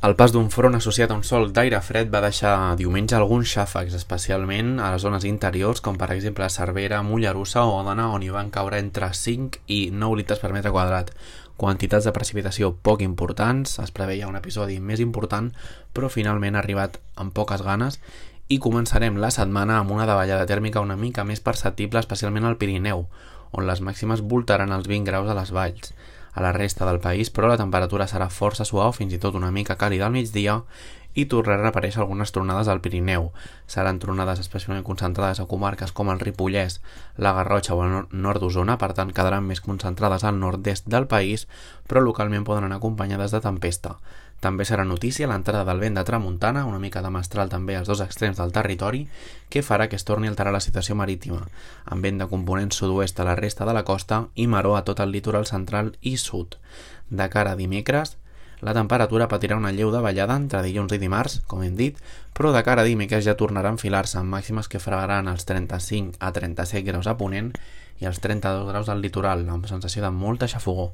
El pas d'un front associat a un sol d'aire fred va deixar diumenge alguns xàfecs, especialment a les zones interiors, com per exemple Cervera, Mollerussa o Òdena, on hi van caure entre 5 i 9 litres per metre quadrat. Quantitats de precipitació poc importants, es preveia un episodi més important, però finalment ha arribat amb poques ganes i començarem la setmana amb una davallada tèrmica una mica més perceptible, especialment al Pirineu, on les màximes voltaran els 20 graus a les valls. A la resta del país, però la temperatura serà força suau, fins i tot una mica càlida al migdia, i tornaran a aparèixer algunes tronades al Pirineu. Seran tronades especialment concentrades a comarques com el Ripollès, la Garrotxa o el nord d'Osona, per tant quedaran més concentrades al nord-est del país, però localment poden anar acompanyades de tempesta. També serà notícia l'entrada del vent de tramuntana, una mica de mestral també als dos extrems del territori, que farà que es torni a alterar la situació marítima, amb vent de component sud-oest a la resta de la costa i maró a tot el litoral central i sud. De cara a dimecres, la temperatura patirà una lleu davallada entre dilluns i dimarts, com hem dit, però de cara a dimecres ja tornarà a enfilar-se amb màximes que fregaran els 35 a 37 graus a ponent i els 32 graus al litoral, amb sensació de molta xafogor.